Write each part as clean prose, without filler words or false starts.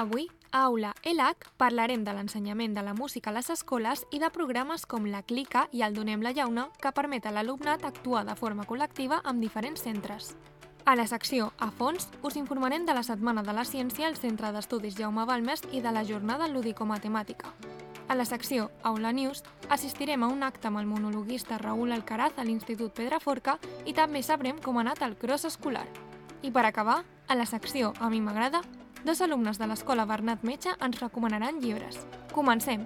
Avui, a Aula ELAC, parlarem de l'ensenyament de la música a les escoles i de programes com la Clica i el Donem la Llauna, que permet a l'alumnat actuar de forma col·lectiva amb diferents centres. A la secció A fons, us informarem de la Setmana de la Ciència al Centre d'Estudis Jaume Balmes i de la Jornada Lúdico-Matemàtica. A la secció Aula News, assistirem a un acte amb el monologuista Raül Alcaraz a l'Institut Pedraforca i també sabrem com ha anat el cross escolar. I per acabar, a la secció A mi m'agrada, dos alumnes de l'Escola Bernat Metge ens recomanaran llibres. Comencem!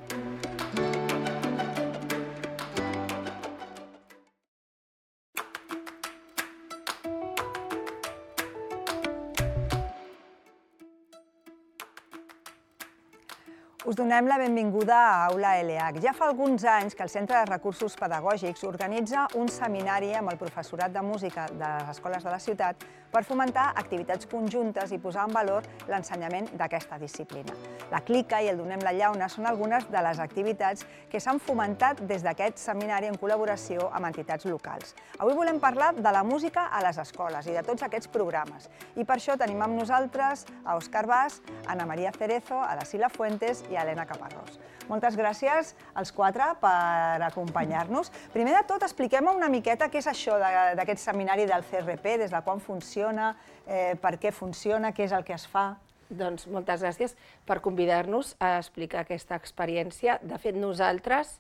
Us donem la benvinguda a Aula ELAC. Ja fa alguns anys que el Centre de Recursos Pedagògics organitza un seminari amb el professorat de música de les escoles de la ciutat per fomentar activitats conjuntes i posar en valor l'ensenyament d'aquesta disciplina. La Clica i el Donem la Llauna són algunes de les activitats que s'han fomentat des d'aquest seminari en col·laboració amb entitats locals. Avui volem parlar de la música a les escoles i de tots aquests programes. I per això tenim amb nosaltres a Òscar Bas, Ana María Cerezo, a la Sila Fuentes i a Helena Caparrós. Moltes gràcies als quatre per acompanyar-nos. Primer de tot, expliquem una miqueta què és això d'aquest seminari del CRP, des de quan funciona, per què funciona, què és el que es fa. Doncs moltes gràcies per convidar-nos a explicar aquesta experiència. De fet, nosaltres,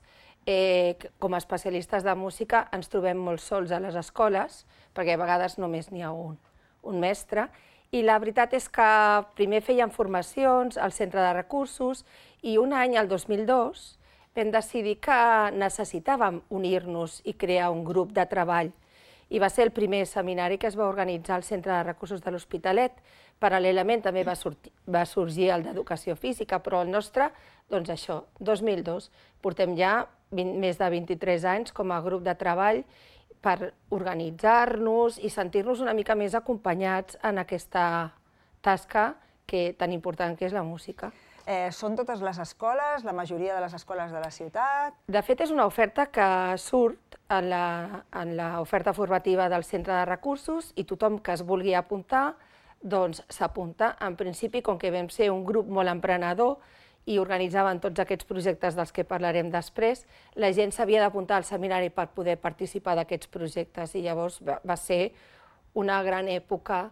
com a especialistes de música, ens trobem molt sols a les escoles, perquè a vegades només n'hi ha un mestre, i la veritat és que primer fèiem formacions al centre de recursos i un any, el 2002, vam decidir que necessitàvem unir-nos i crear un grup de treball. I va ser el primer seminari que es va organitzar al Centre de Recursos de l'Hospitalet. Paral·lelament també va sorgir el d'Educació Física, però el nostre, doncs això, 2002. Portem ja més de 23 anys com a grup de treball per organitzar-nos i sentir-nos una mica més acompanyats en aquesta tasca tan important que és la música. Són totes les escoles, la majoria de les escoles de la ciutat? De fet, és una oferta que surt en l'oferta formativa del Centre de Recursos i tothom que es vulgui apuntar doncs s'apunta. En principi, com que vam ser un grup molt emprenedor i organitzaven tots aquests projectes dels que parlarem després, la gent s'havia d'apuntar al seminari per poder participar d'aquests projectes i llavors va ser una gran època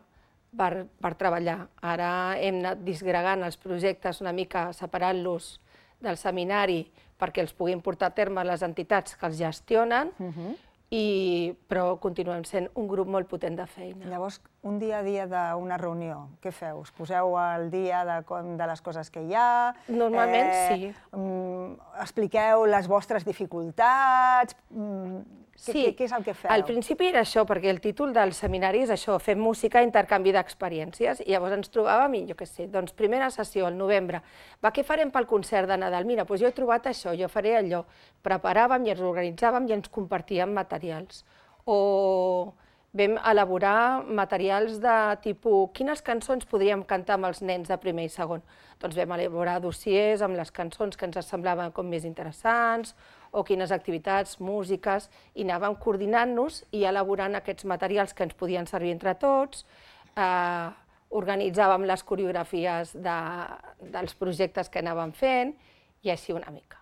per treballar. Ara hem anat disgregant els projectes una mica, separant-los del seminari perquè els puguin portar a terme les entitats que els gestionen, però continuem sent un grup molt potent de feina. Llavors, un dia a dia d'una reunió, què feu? Us poseu al dia de les coses que hi ha? Normalment sí. Expliqueu les vostres dificultats? Sí, què és el que feu? Al principi era això, perquè el títol del seminari és això, fem música, intercanvi d'experiències, i llavors ens trobàvem i jo què sé, doncs primera sessió, al novembre, què farem pel concert de Nadal? Mira, doncs jo he trobat això, jo faré allò. Preparàvem i ens organitzàvem i ens compartíem materials. O vam elaborar materials de tipus, quines cançons podríem cantar amb els nens de primer i segon? Doncs vam elaborar dossiers amb les cançons que ens semblaven com més interessants, o quines activitats, músiques, i anàvem coordinant-nos i elaborant aquests materials que ens podien servir entre tots, organitzàvem les coreografies dels projectes que anàvem fent, i així una mica.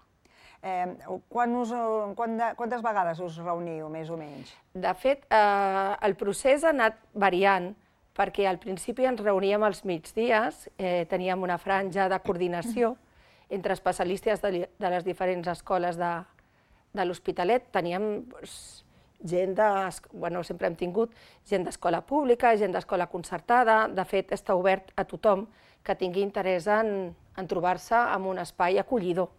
Quantes vegades us reuniu, més o menys? De fet, el procés ha anat variant, perquè al principi ens reuníem als migdies, teníem una franja de coordinació entre especialistes de les diferents escoles de l'Hospitalet, teníem gent sempre hem tingut gent d'escola pública, gent d'escola concertada, de fet està obert a tothom que tingui interès en trobar-se en un espai acollidor.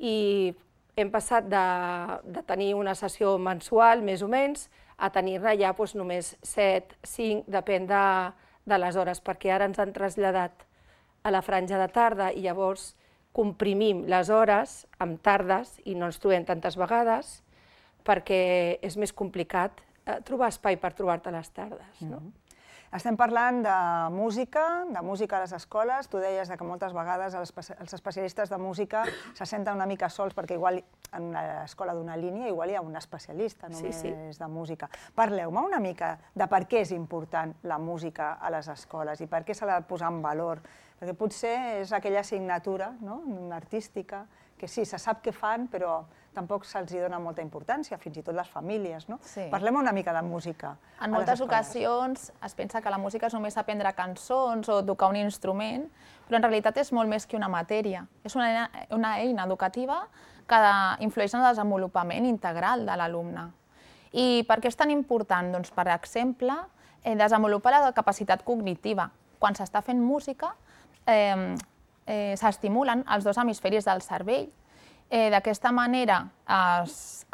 I hem passat de tenir una sessió mensual, més o menys, a tenir-ne ja només 7, 5, depèn de les hores, perquè ara ens han traslladat a la franja de tarda i llavors comprimim les hores amb tardes i no ens trobem tantes vegades perquè és més complicat trobar espai per trobar-te a les tardes. Estem parlant de música a les escoles. Tu deies que moltes vegades els especialistes de música se senten una mica sols perquè igual en l'escola d'una línia igual hi ha un especialista només de música. Parleu-me una mica de per què és important la música a les escoles i per què s'ha de posar en valor Perquè potser és aquella assignatura artística que sí, se sap què fan, però tampoc se'ls dona molta importància, fins i tot les famílies. Parlem una mica de música. En moltes ocasions es pensa que la música és només aprendre cançons o tocar un instrument, però en realitat és molt més que una matèria. És una eina educativa que influeix en el desenvolupament integral de l'alumne. I per què és tan important? Doncs, per exemple, desenvolupar la capacitat cognitiva. Quan s'està fent música, s'estimulen els dos hemisferis del cervell. D'aquesta manera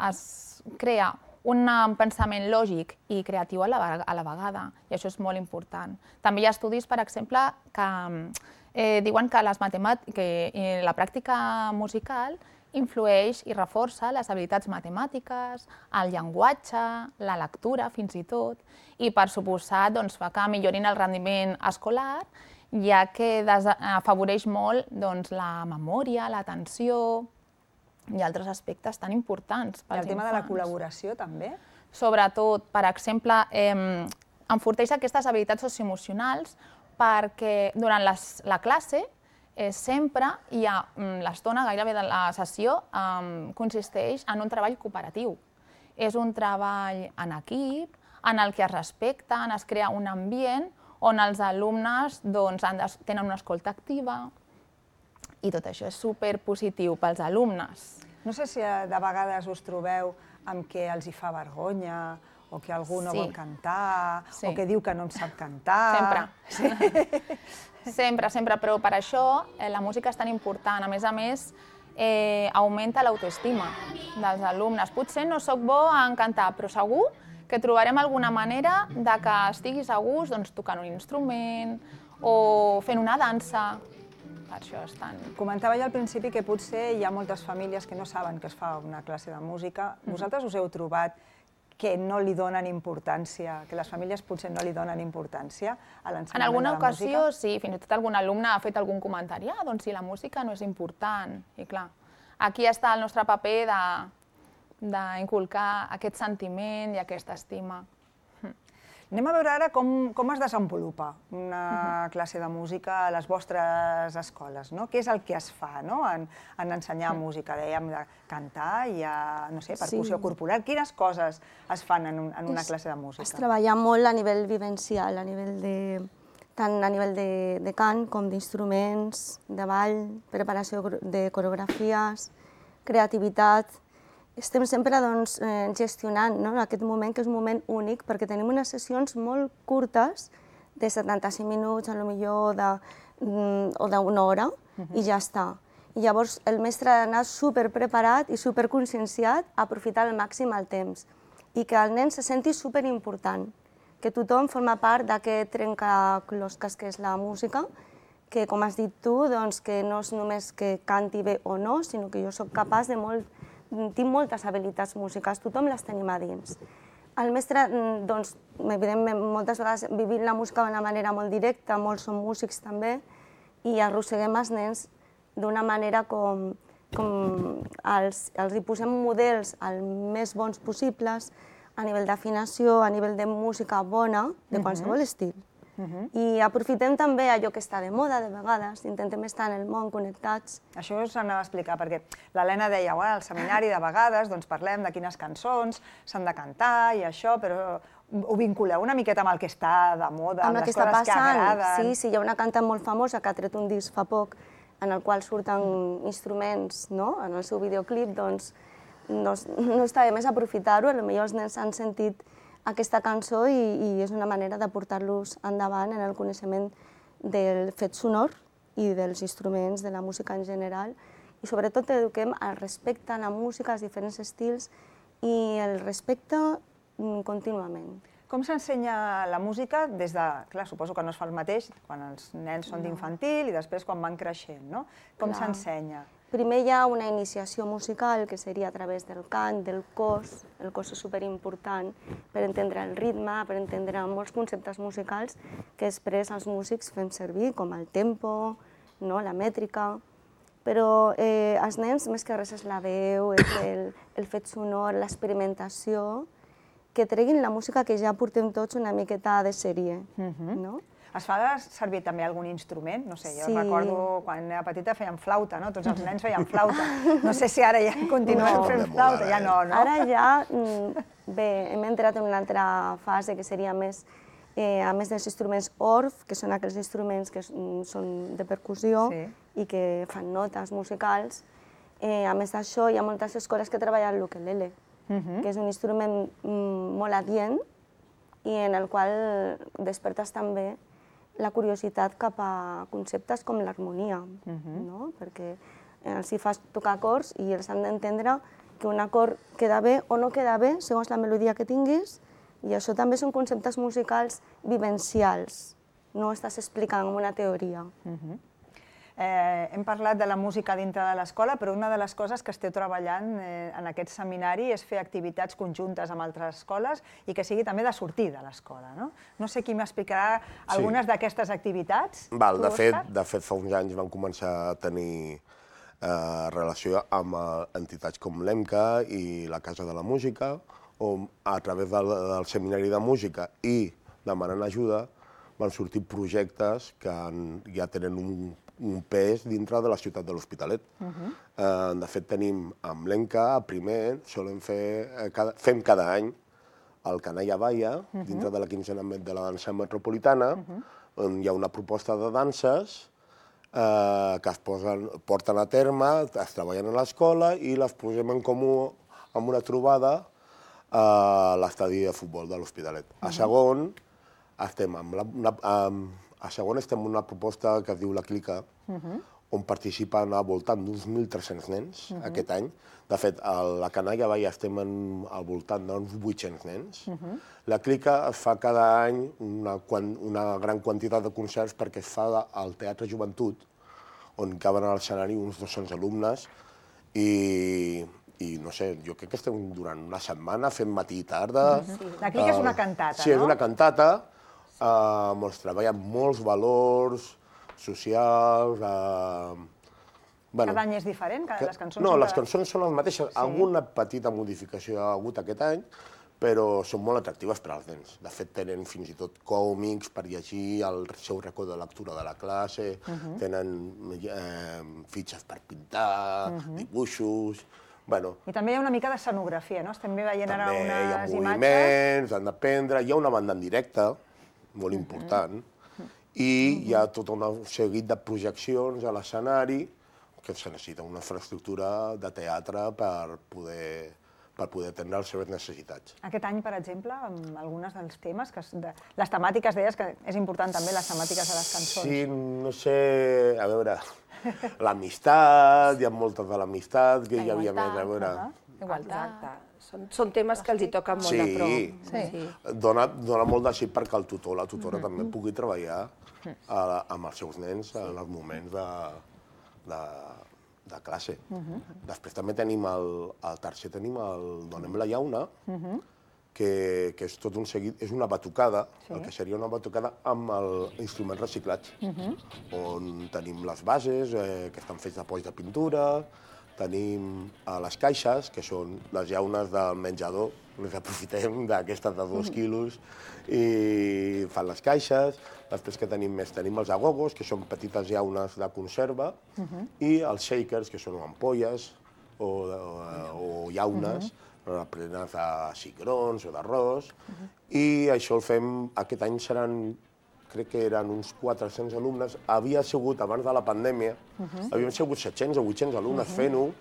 es crea un pensament lògic i creatiu a la vegada, i això és molt important. També hi ha estudis, per exemple, que diuen que la pràctica musical influeix i reforça les habilitats matemàtiques, el llenguatge, la lectura, fins i tot, i per suposat fa que millorin el rendiment escolar, ja que afavoreix molt la memòria, l'atenció i altres aspectes tan importants pels infants. I el tema de la col·laboració també? Sobretot, per exemple, enforteix aquestes habilitats socioemocionals perquè durant la classe sempre hi ha l'estona gairebé de la sessió consisteix en un treball cooperatiu. És un treball en equip, en el que es respecten, es crea un ambient on els alumnes tenen una escolta activa i tot això és superpositiu pels alumnes. No sé si de vegades us trobeu amb què els hi fa vergonya o que algú no vol cantar o que diu que no en sap cantar. Sempre, sempre, però per això la música és tan important. A més, augmenta l'autoestima dels alumnes. Potser no soc bo en cantar, però segur que trobarem alguna manera que estiguis a gust tocant un instrument o fent una dansa. Per això és tan... Comentava ja al principi que potser hi ha moltes famílies que no saben que es fa una classe de música. Vosaltres us heu trobat que no li donen importància, que les famílies potser no li donen importància a l'ensenyament de la música? En alguna ocasió sí, fins i tot algun alumne ha fet algun comentari, doncs si la música no és important. I clar, aquí està el nostre paper d'inculcar aquest sentiment i aquesta estima. Anem a veure ara com es desenvolupa una classe de música a les vostres escoles. Què és el que es fa en ensenyar música? Dèiem de cantar, hi ha, no sé, percussió corporal. Quines coses es fan en una classe de música? Es treballa molt a nivell vivencial, tant a nivell de cant com d'instruments, de ball, preparació de coreografies, creativitat. Estem sempre gestionant aquest moment, que és un moment únic, perquè tenim unes sessions molt curtes, de 75 minuts, o d'una hora, i ja està. I llavors el mestre ha d'anar superpreparat i superconscienciat a aprofitar al màxim el temps. I que el nen se senti superimportant, que tothom forma part d'aquest trencaclosques que és la música, que, com has dit tu, que no és només que canti bé o no, sinó que jo soc capaç de tinc moltes habilitats musicals, tothom les tenim a dins. El mestre, evidentment, moltes vegades vivim la música d'una manera molt directa, molts són músics també, i arrosseguem els nens d'una manera com els hi posem models els més bons possibles, a nivell d'afinació, a nivell de música bona, de qualsevol estil. I aprofitem també allò que està de moda, de vegades, intentem estar en el món connectats. Això us anava a explicar, perquè l'Helena deia, al seminari de vegades parlem de quines cançons s'han de cantar i això, però ho vinculeu una miqueta amb el que està de moda, amb les coses que agraden. Sí, hi ha una cantant molt famosa que ha tret un disc fa poc en el qual surten instruments en el seu videoclip, doncs no està de més aprofitar-ho, potser els nens han sentit aquesta cançó i és una manera de portar-los endavant en el coneixement del fet sonor i dels instruments, de la música en general, i sobretot eduquem al respecte a la música, als diferents estils i el respecte contínuament. Com s'ensenya la música des de... Clar, suposo que no es fa el mateix quan els nens són d'infantil i després quan van creixent, no? Com s'ensenya? Primer hi ha una iniciació musical, que seria a través del cant, del cos. El cos és superimportant per entendre el ritme, per entendre molts conceptes musicals que després els músics fem servir, com el tempo, la mètrica. Però els nens, més que res, és la veu, és el fet sonor, l'experimentació, que treguin la música que ja portem tots una miqueta de sèrie. Es fa servir també algun instrument? No sé, jo Sí. recordo quan era petita feien flauta, no? Tots els nens feien flauta. No sé si ara ja continuen fent flauta, ja no, no? Ara ja, bé, hem entrat en una altra fase que seria més, a més dels instruments orf, que són aquells instruments que són de percussió i que fan notes musicals. A més d'això, hi ha moltes escoles que treballen l'ukelele, que és un instrument molt adient i en el qual despertes també la curiositat cap a conceptes com l'harmonia, perquè els hi fas tocar acords i els han d'entendre que un acord queda bé o no queda bé segons la melodia que tinguis, i això també són conceptes musicals vivencials, no estàs explicant una teoria. Hem parlat de la música dintre de l'escola, però una de les coses que esteu treballant en aquest seminari és fer activitats conjuntes amb altres escoles i que sigui també de sortir de l'escola. No sé qui m'explicarà algunes d'aquestes activitats. De fet, fa uns anys vam començar a tenir relació amb entitats com l'EMCA i la Casa de la Música, on a través del seminari de música i demanant ajuda van sortir projectes que ja tenen un pes dintre de la ciutat de l'Hospitalet. De fet, tenim amb l'ENCA, primer, fem cada any el Canalla Baia, dintre de la quinzena de la dansa metropolitana, on hi ha una proposta de danses que es porten a terme, es treballen a l'escola i les posem en comú amb una trobada a l'estadi de futbol de l'Hospitalet. A segon, estem en una proposta que es diu La Clica, on participen al voltant d'uns 1.300 nens aquest any. De fet, a la Canalla Baia estem al voltant d'uns 800 nens. La Clica es fa cada any una gran quantitat de concerts perquè es fa al Teatre Joventut, on caben a l'escenari uns 200 alumnes i no sé, jo crec que estem durant una setmana fent matí i tarda. La Clica és una cantata, no? Sí, és una cantata. Es treballen molts valors socials. Cada any és diferent? Les cançons no, les cançons són les mateixes. Alguna petita modificació hi ha hagut aquest any, però són molt atractives per als nens. De fet, tenen fins i tot còmics per llegir, el seu racó de lectura de la classe, tenen fitxes per pintar, dibuixos. I també hi ha una mica d'escenografia, no? Estem veient ara unes imatges. També hi ha moviments, han d'aprendre, hi ha una banda en directe, molt important, i hi ha tot un seguit de projeccions a l'escenari que se necessita una infraestructura de teatre per poder atendre les seves necessitats. Aquest any, per exemple, amb alguns dels temes, les temàtiques, deies que és important també les temàtiques de les cançons. Sí, no sé, a veure, l'amistat, hi ha moltes de l'amistat, que hi havia més, a veure... Igualtat. Són temes que els hi toquen molt de prop. Sí, dona molt de sí perquè el tutor, la tutora també pugui treballar amb els seus nens en els moments de classe. Després també tenim al tercer tenim el Donem la llauna, que és tot un seguit, és una batucada, el que seria una batucada amb instruments reciclats, on tenim les bases, que estan fets de polls de pintura, tenim les caixes, que són les llaunes del menjador, les aprofitem d'aquestes de 2 quilos i fan les caixes. Després que tenim més, tenim els agogos, que són petites llaunes de conserva, i els shakers, que són ampolles o llaunes, plenes de cigrons o d'arròs, i això el fem, aquest any seran, crec que eren uns 400 alumnes, havia sigut, abans de la pandèmia, havien sigut 700 o 800 alumnes fent-ho,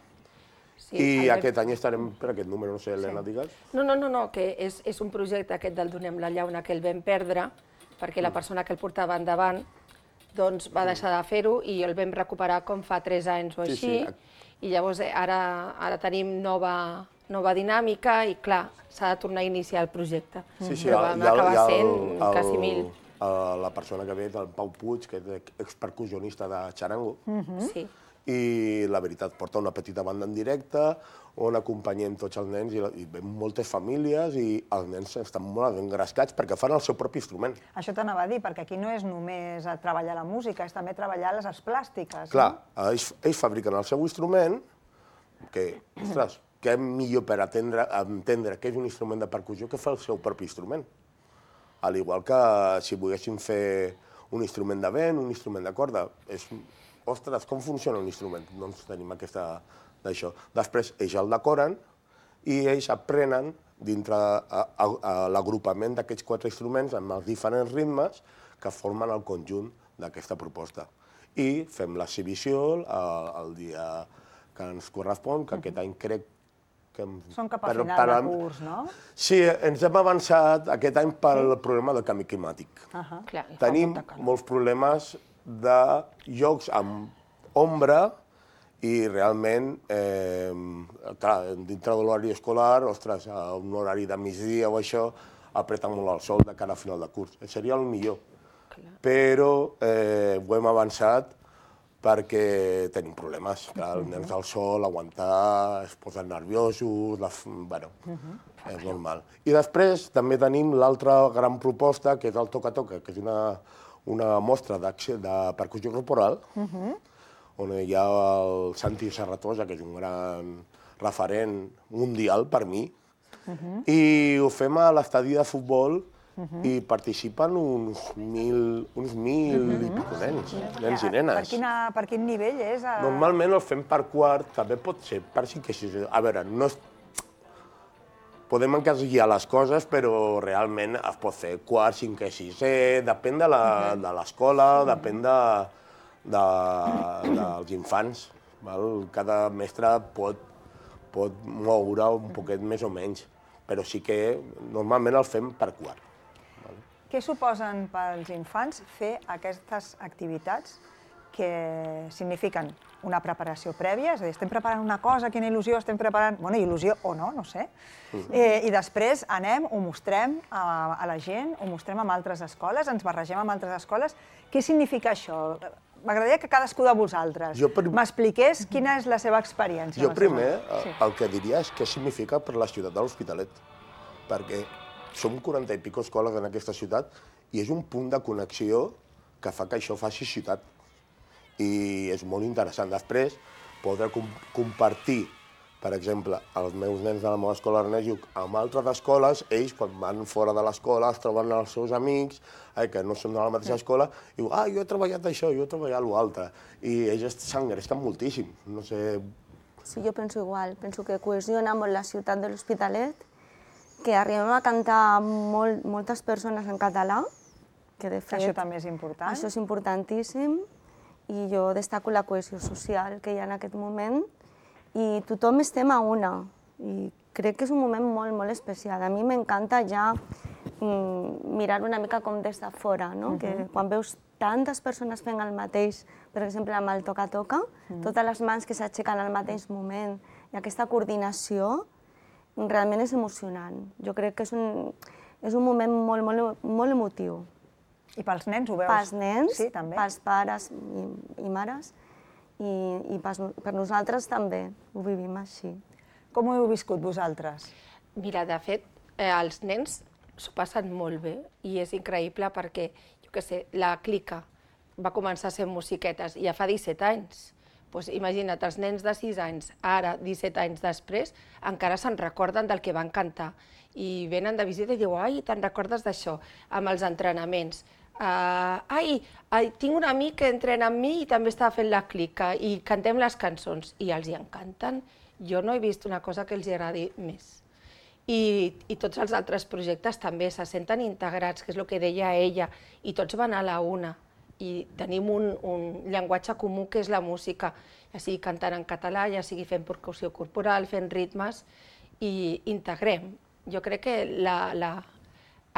i aquest any estarem per aquest número, no sé, Helena, digues? No, que és un projecte aquest del Donem la llauna que el vam perdre, perquè la persona que el portava endavant va deixar de fer-ho i el vam recuperar com fa 3 anys o així, i llavors ara tenim nova dinàmica i, clar, s'ha de tornar a iniciar el projecte. Però vam acabar sent quasi 1.000. La persona que ve és el Pau Puig, que és expercussionista de xarango, i la veritat porta una petita banda en directe on acompanyem tots els nens i ven moltes famílies i els nens estan molt engrescats perquè fan el seu propi instrument. Això t'anava a dir, perquè aquí no és només treballar la música, és també treballar les arts plàstiques. Clar, ells fabriquen el seu instrument, que, ostres, què millor per entendre que és un instrument de percussió que fa el seu propi instrument. Al igual que si volguéssim fer un instrument de vent, un instrument de corda. Ostres, com funciona un instrument? Doncs tenim aquesta d'això. Després ells el decoren i ells aprenen dintre l'agrupament d'aquests 4 instruments amb els diferents ritmes que formen el conjunt d'aquesta proposta. I fem l'exhibició el dia que ens correspon, que aquest any crec que... Són cap a final de curs, no? Sí, ens hem avançat aquest any pel problema del canvi climàtic. Tenim molts problemes de llocs amb ombra i realment, clar, dintre de l'horari escolar, ostres, a un horari de migdia o això, apreta molt el sol de cara a final de curs. Seria el millor. Però ho hem avançat perquè tenim problemes. Clar, els nens al sol, aguantar, es posen nerviosos, bueno, és normal. I després també tenim l'altra gran proposta, que és el Toca-Toca, que és una mostra de percussió corporal, on hi ha el Santi Serratosa, que és un gran referent mundial per mi, i ho fem a l'estadi de futbol i participen uns 1.000 i pico nens i nenes. Per quin nivell és? Normalment el fem per quart, també pot ser per 5 i 6. A veure, podem encasillar les coses, però realment es pot fer quart, 5 i 6, depèn de l'escola, depèn dels infants. Cada mestre pot moure un poquet més o menys, però sí que normalment el fem per quart. Què suposen pels infants fer aquestes activitats que signifiquen una preparació prèvia? És a dir, estem preparant una cosa, quina il·lusió estem preparant? Bueno, il·lusió o no, no sé. I després anem, ho mostrem a la gent, ho mostrem amb altres escoles, ens barregem amb altres escoles. Què significa això? M'agradaria que cadascú de vosaltres m'expliqués quina és la seva experiència. Jo primer el que diria és què significa per la ciutat de l'Hospitalet, perquè som 40 i pico escoles en aquesta ciutat i és un punt de connexió que fa que això faci ciutat. I és molt interessant. Després, poder compartir, per exemple, els meus nens de la meva escola Ernest Lluch amb altres escoles, ells, quan van fora de l'escola, es troben els seus amics, que no són de la mateixa escola, i diuen, jo he treballat això, jo he treballat l'altre. I ells s'engresquen moltíssim. No sé... Sí, jo penso igual. Penso que cohesiona molt la ciutat de l'Hospitalet, que arribem a cantar moltes persones en català, que de fet... Això també és important. Això és importantíssim, i jo destaco la cohesió social que hi ha en aquest moment, i tothom estem a una, i crec que és un moment molt, molt especial. A mi m'encanta ja mirar una mica com des de fora, no? Que quan veus tantes persones fent el mateix, per exemple, amb el Toca-Toca, totes les mans que s'aixequen al mateix moment, i aquesta coordinació, realment és emocionant. Jo crec que és un moment molt emotiu. I pels nens ho veus? Pels nens, sí, també. Pels pares i mares, i per nosaltres també ho vivim així. Com ho heu viscut vosaltres? Mira, de fet, els nens s'ho passen molt bé i és increïble perquè, jo què sé, la Clica va començar a ser musiquetes ja fa 17 anys. Doncs imagina't, els nens de 6 anys, ara, 17 anys després, encara se'n recorden del que van cantar. I venen de visita i diuen, ai, te'n recordes d'això, amb els entrenaments. Tinc un amic que entrena amb mi i també està fent la Clica i cantem les cançons i els hi encanten. Jo no he vist una cosa que els agradi més. I tots els altres projectes també se senten integrats, que és el que deia ella, i tots van a la una. I tenim un llenguatge comú que és la música, ja sigui cantant en català, ja sigui fent percussió corporal, fent ritmes, i integrem. Jo crec que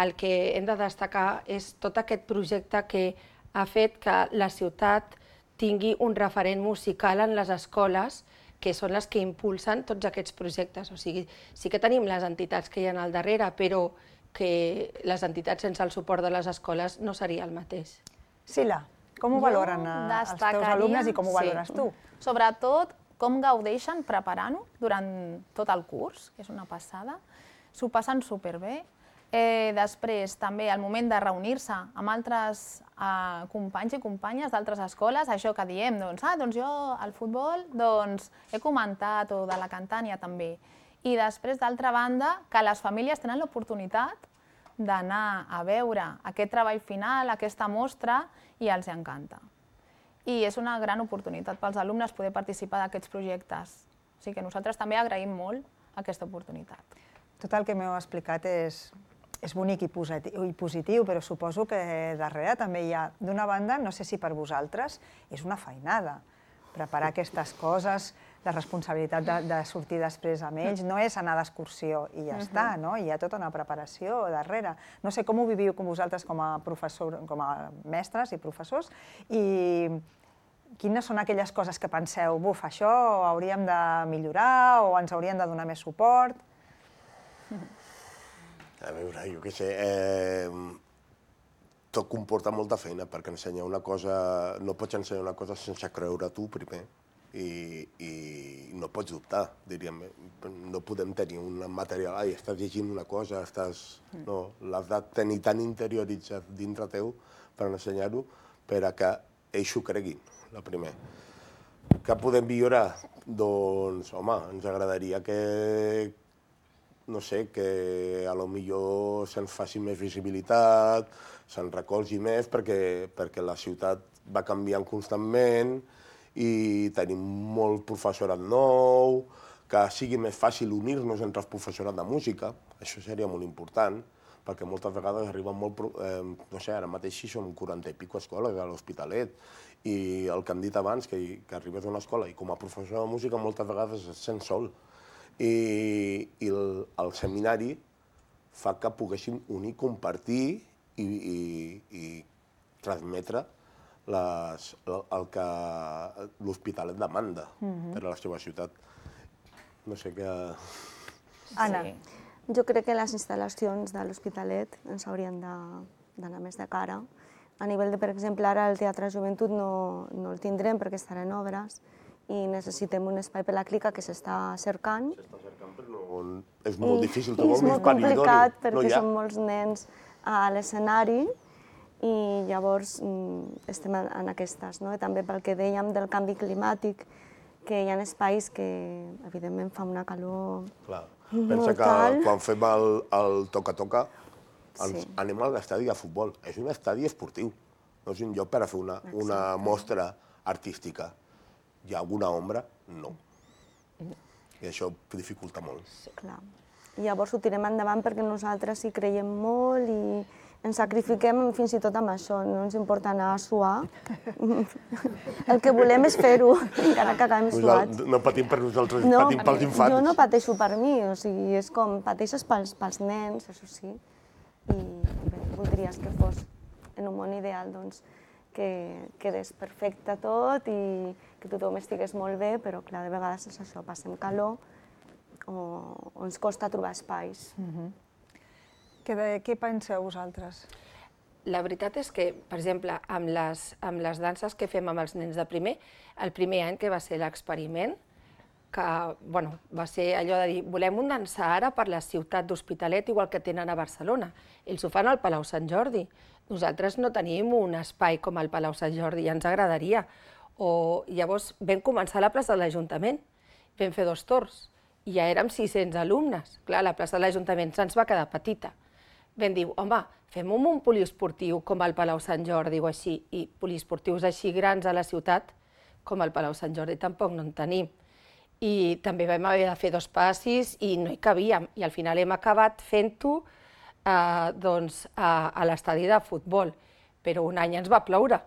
el que hem de destacar és tot aquest projecte que ha fet que la ciutat tingui un referent musical en les escoles, que són les que impulsen tots aquests projectes. O sigui, sí que tenim les entitats que hi ha al darrere, però que les entitats sense el suport de les escoles no seria el mateix. Sila, com ho valoren els teus alumnes i com ho valores tu? Sobretot, com gaudeixen preparant-ho durant tot el curs, que és una passada. S'ho passen superbé. Després, també, al moment de reunir-se amb altres companys i companyes d'altres escoles, això que diem, doncs jo al futbol he comentat, o de la cantània també. I després, d'altra banda, que les famílies tenen l'oportunitat d'anar a veure aquest treball final, aquesta mostra, i els encanta. I és una gran oportunitat pels alumnes poder participar d'aquests projectes. O sigui que nosaltres també agraïm molt aquesta oportunitat. Tot el que m'heu explicat és bonic i positiu, però suposo que darrere també hi ha, d'una banda, no sé si per vosaltres, és una feinada. Preparar aquestes coses, la responsabilitat de sortir després amb ells, no és anar d'excursió i ja està, no? Hi ha tota una preparació darrere. No sé com ho viviu vosaltres com a mestres i professors, i quines són aquelles coses que penseu, buf, això hauríem de millorar o ens haurien de donar més suport? A veure, jo què sé, tot comporta molta feina, perquè ensenyar una cosa, no pots ensenyar una cosa sense creure tu primer, i no pots dubtar, diríem. No podem tenir un material, estàs llegint una cosa, no, l'has de tenir tan interioritzat dintre teu per ensenyar-ho, per a que ells ho creguin, la primer. Què podem millorar? Doncs, home, ens agradaria que, no sé, que a lo millor se'ns faci més visibilitat, se'n recolzi més, perquè la ciutat va canviant constantment i tenim molt professorat nou, que sigui més fàcil unir-nos entre els professorat de música, això seria molt important, perquè moltes vegades arriben molt, no sé, ara mateix sí som 40 i pico escoles a l'Hospitalet, i el que hem dit abans, que arribes a una escola i com a professor de música moltes vegades et sents sol, i el seminari fa que poguéssim unir, compartir i transmetre el que l'Hospitalet demanda per a la seva ciutat. No sé què... Anna. Jo crec que les instal·lacions de l'Hospitalet ens haurien d'anar més de cara. A nivell de, per exemple, ara el Teatre Joventut no el tindrem perquè estarà en obres i necessitem un espai per la clica que s'està cercant. S'està cercant, però és molt difícil trobar un espai idoni. És molt complicat perquè són molts nens a l'escenari i llavors estem en aquestes. També pel que dèiem del canvi climàtic, que hi ha espais que evidentment fa una calor molt tal. Pensa que quan fem el toca-toca anem a l'estadi de futbol. És un estadi esportiu, no és un lloc per a fer una mostra artística. Hi ha alguna ombra? No. I això dificulta molt. Clar. I llavors ho tirem endavant perquè nosaltres hi creiem molt i ens sacrifiquem fins i tot amb això. No ens importa anar a suar. El que volem és fer-ho, encara que acabem suats. No patim per nosaltres, patim pels infants. Jo no pateixo per mi, o sigui, és com pateixes pels nens, això sí. I bé, voldries que fos en un món ideal, doncs, que quedés perfecte tot i que tothom estigués molt bé, però clar, de vegades és això, passem calor o ens costa trobar espais. Què penseu vosaltres? La veritat és que, per exemple, amb les danses que fem amb els nens de primer, el primer any que va ser l'experiment, que va ser allò de dir volem un dansar ara per la ciutat d'Hospitalet igual que tenen a Barcelona. Ells ho fan al Palau Sant Jordi. Nosaltres no tenim un espai com el Palau Sant Jordi, ja ens agradaria. Llavors vam començar a la plaça de l'Ajuntament, vam fer 2 torns, i ja érem 600 alumnes. Clar, la plaça de l'Ajuntament se'ns va quedar petita. Vam dir, home, fem un poliesportiu com el Palau Sant Jordi o així, i poliesportius així grans a la ciutat, com el Palau Sant Jordi, tampoc no en tenim. I també vam haver de fer 2 passis i no hi cabíem, i al final hem acabat fent-ho a l'estadi de futbol, però un any ens va ploure.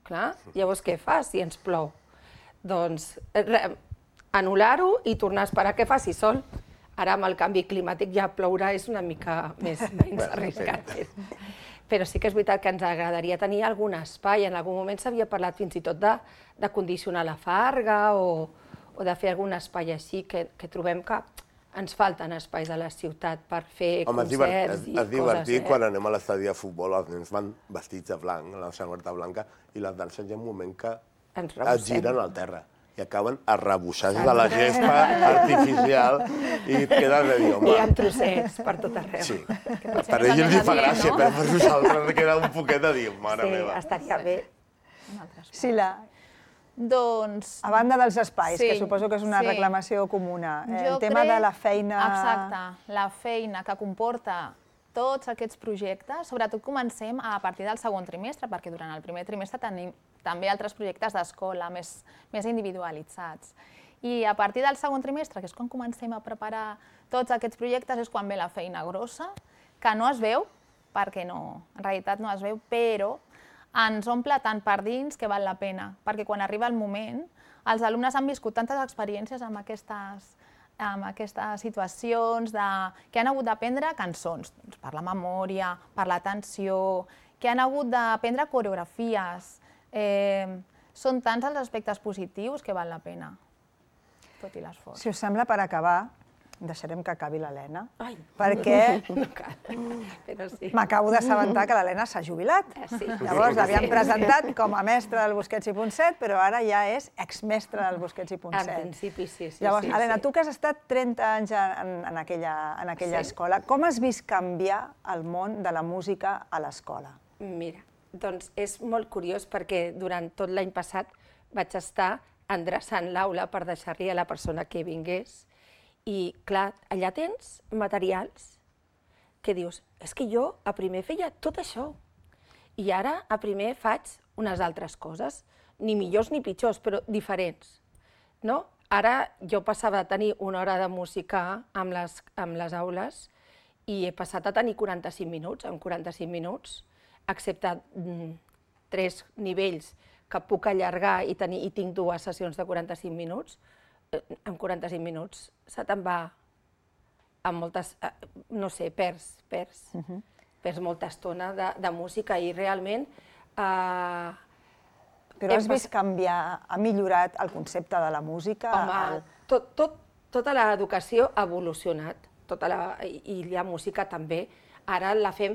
Clar, llavors què fas si ens plou? Doncs anul·lar-ho i tornar a esperar que faci sol. Ara amb el canvi climàtic ja plourà és una mica menys arriscat. Però sí que és veritat que ens agradaria tenir algun espai. En algun moment s'havia parlat fins i tot de condicionar la farga o de fer algun espai així, que trobem que ens falten espais a la ciutat per fer concerts i coses. És divertit quan anem a l'estadi de futbol, els nens van vestits de blanc, la samarreta blanca, i les danses hi ha un moment que es giren al terra i acaben arrebossats de la gespa artificial i et quedes de dir, home... I amb trossets per tot arreu. Sí, per ells els fa gràcia, però per nosaltres queda un poquet de dir, mare meva. Sí, estaria bé. Sila, doncs... a banda dels espais, que suposo que és una reclamació comuna, el tema de la feina... Exacte, la feina que comporta tots aquests projectes, sobretot comencem a partir del segon trimestre, perquè durant el primer trimestre tenim també altres projectes d'escola més individualitzats. I a partir del segon trimestre, que és quan comencem a preparar tots aquests projectes, és quan ve la feina grossa, que no es veu, perquè no, en realitat no es veu, però ens omple tant per dins que val la pena, perquè quan arriba el moment, els alumnes han viscut tantes experiències amb aquestes situacions que han hagut d'aprendre cançons, per la memòria, per l'atenció, que han hagut d'aprendre coreografies. Són tants els aspectes positius que val la pena, tot i l'esforç. Si us sembla, per acabar, deixarem que acabi l'Helena, perquè m'acabo d'assabentar que l'Helena s'ha jubilat. Llavors l'havíem presentat com a mestra del Busquets i Ponset, però ara ja és exmestra del Busquets i Ponset. En principi, sí. Llavors, Helena, tu que has estat 30 anys en aquella escola, com has vist canviar el món de la música a l'escola? Mira, doncs és molt curiós perquè durant tot l'any passat vaig estar endreçant l'aula per deixar-li a la persona que vingués. I, clar, allà tens materials que dius, és que jo a primer feia tot això i ara a primer faig unes altres coses, ni millors ni pitjors, però diferents. Ara jo passava a tenir una hora de música amb les aules i he passat a tenir 45 minuts. En 45 minuts, excepte 3 nivells que puc allargar i tinc 2 sessions de 45 minuts, en 45 minuts se te'n va amb moltes, no sé, perds molta estona de música i realment... Però has vist canviar, ha millorat el concepte de la música? Home, tota l'educació ha evolucionat, i la música també. Ara la fem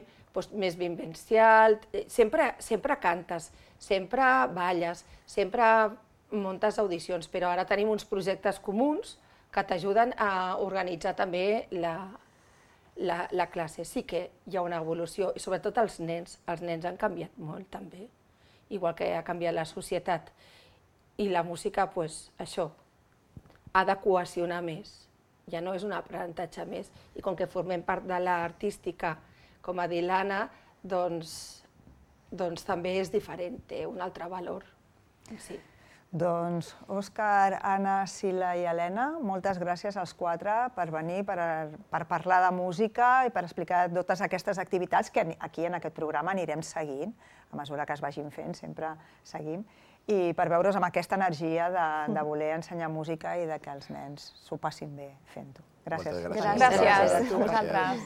més vivencial, sempre cantes, sempre balles, sempre muntes audicions, però ara tenim uns projectes comuns que t'ajuden a organitzar també la classe. Sí que hi ha una evolució, i sobretot els nens han canviat molt també, igual que ha canviat la societat. I la música, això, ha de cohesionar més, ja no és un aprenentatge més, i com que formem part de l'artística, com ha dit l'Anna, doncs també és diferent, té un altre valor. Sí. Doncs Òscar, Anna, Sila i Helena, moltes gràcies als 4 per venir, per parlar de música i per explicar totes aquestes activitats que aquí en aquest programa anirem seguint, a mesura que es vagin fent, sempre seguim, i per veure's amb aquesta energia de voler ensenyar música i que els nens s'ho passin bé fent-ho. Gràcies. Gràcies a vosaltres.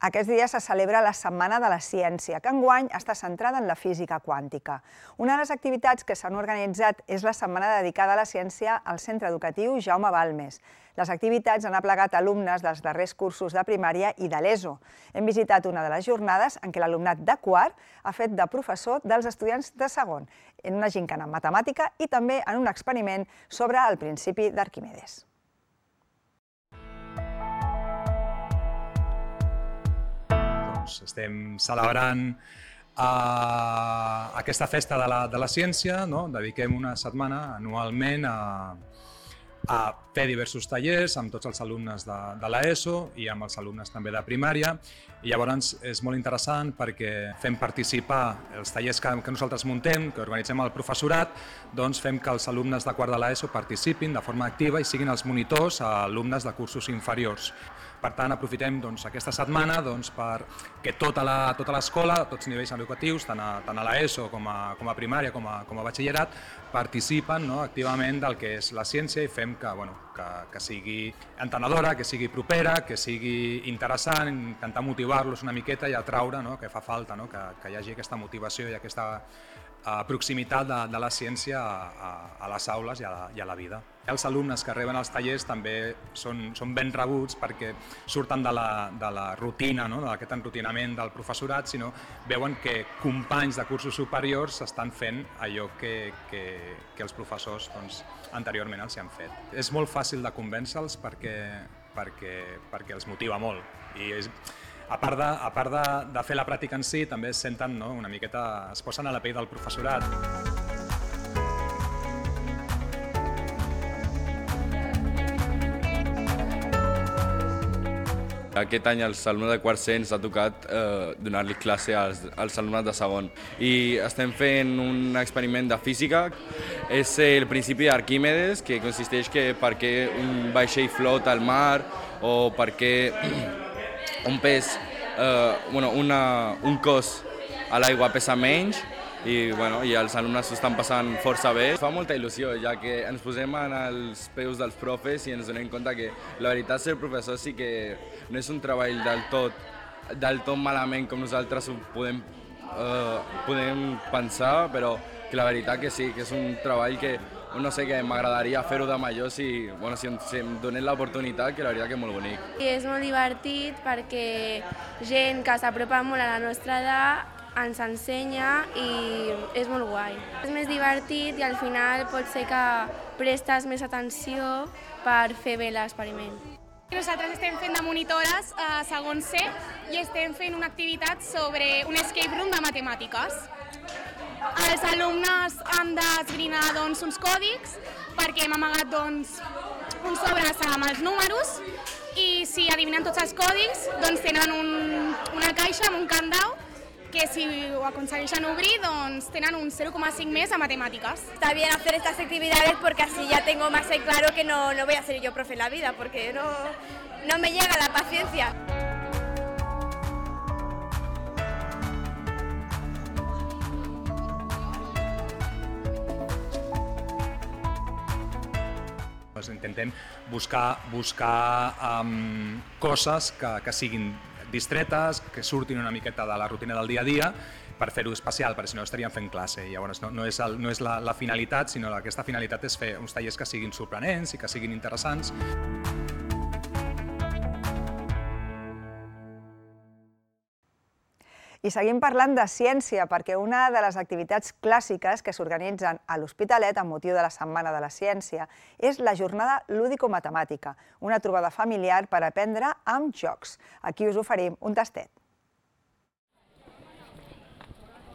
Aquests dies se celebra la Setmana de la Ciència, que enguany està centrada en la física quàntica. Una de les activitats que s'han organitzat és la setmana dedicada a la ciència al centre educatiu Jaume Balmes. Les activitats han aplegat alumnes dels darrers cursos de primària i de l'ESO. Hem visitat una de les jornades en què l'alumnat de quart ha fet de professor dels estudiants de segon, en una gincana en matemàtica i també en un experiment sobre el principi d'Arquimedes. Estem celebrant aquesta festa de la ciència, dediquem una setmana anualment a fer diversos tallers amb tots els alumnes de l'ESO i amb els alumnes també de primària. I llavors és molt interessant perquè fem participar els tallers que nosaltres muntem, que organitzem el professorat, doncs fem que els alumnes de quart de l'ESO participin de forma activa i siguin els monitors a alumnes de cursos inferiors. Per tant, aprofitem aquesta setmana perquè tota l'escola, tots els nivells educatius, tant a l'ESO com a primària com a batxillerat, participen activament del que és la ciència i fem que sigui entenedora, que sigui propera, que sigui interessant, intentar motivar-los una miqueta i atraure, que fa falta, que hi hagi aquesta motivació i aquesta proximitat de la ciència a les aules i a la vida. Els alumnes que reben els tallers també són ben rebuts perquè surten de la rutina, d'aquest enrutinament del professorat, sinó veuen que companys de cursos superiors estan fent allò que els professors anteriorment els han fet. És molt fàcil de convèncer-los perquè els motiva molt. I a part de fer la pràctica en si, també es senten, no, una miqueta, es posen a la pell del professorat. Aquest any als alumnes de quart C ens ha tocat donar-li classe als alumnes de segon. I estem fent un experiment de física, és el principi d'Arquímedes, que consisteix que per què un vaixell flota al mar o per què un pes, un cos a l'aigua pesa menys, i els alumnes s'ho estan passant força bé. Fa molta il·lusió, ja que ens posem en els peus dels profes i ens donem compte que la veritat ser professor sí que no és un treball del tot malament com nosaltres ho podem pensar, però que la veritat que sí, que és un treball que no sé, que m'agradaria fer-ho de major si em donen l'oportunitat, que la veritat que és molt bonic. És molt divertit perquè gent que s'apropa molt a la nostra edat ens ensenya i és molt guai. És més divertit i al final pot ser que prestes més atenció per fer bé l'experiment. Nosaltres estem fent de monitores a segon C i estem fent una activitat sobre un escape room de matemàtiques. Els alumnes han d'esbrinar uns còdics perquè hem amagat uns sobres amb els números i si adivinen tots els còdics tenen una caixa amb un candau que si ho aconsegueixen obrir, tenen un 0,5 més a matemàtiques. Está bien hacer estas actividades porque así ya tengo más en claro que no voy a ser yo profe en la vida, porque no me llega la paciencia. Intentem buscar coses que siguin distretes, que surtin una miqueta de la rutina del dia a dia per fer-ho especial, perquè si no estaríem fent classe. Llavors no és la finalitat, sinó que aquesta finalitat és fer uns tallers que siguin sorprenents i que siguin interessants. I seguim parlant de ciència, perquè una de les activitats clàssiques que s'organitzen a l'Hospitalet amb motiu de la Setmana de la Ciència és la jornada lúdico-matemàtica, una trobada familiar per aprendre amb jocs. Aquí us oferim un tastet.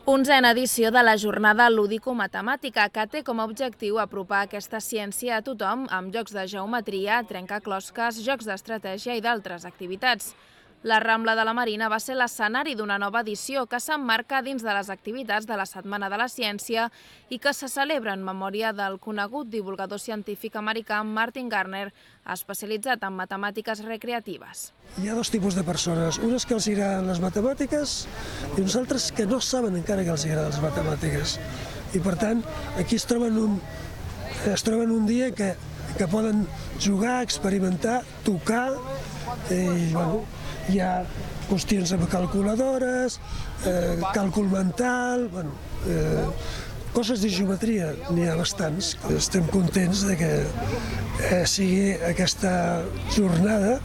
11a edició de la jornada lúdico-matemàtica, que té com a objectiu apropar aquesta ciència a tothom amb jocs de geometria, trencaclosques, jocs d'estratègia i d'altres activitats. La Rambla de la Marina va ser l'escenari d'una nova edició que s'emmarca dins de les activitats de la Setmana de la Ciència i que se celebra en memòria del conegut divulgador científic americà Martin Gardner, especialitzat en matemàtiques recreatives. Hi ha dos tipus de persones, unes que els agraden les matemàtiques i uns altres que no saben encara que els agraden les matemàtiques. I per tant, aquí es troben un dia que poden jugar, experimentar, tocar i, hi ha qüestions amb calculadores, càlcul mental, coses de geometria, n'hi ha bastants. Estem contents que sigui aquesta jornada,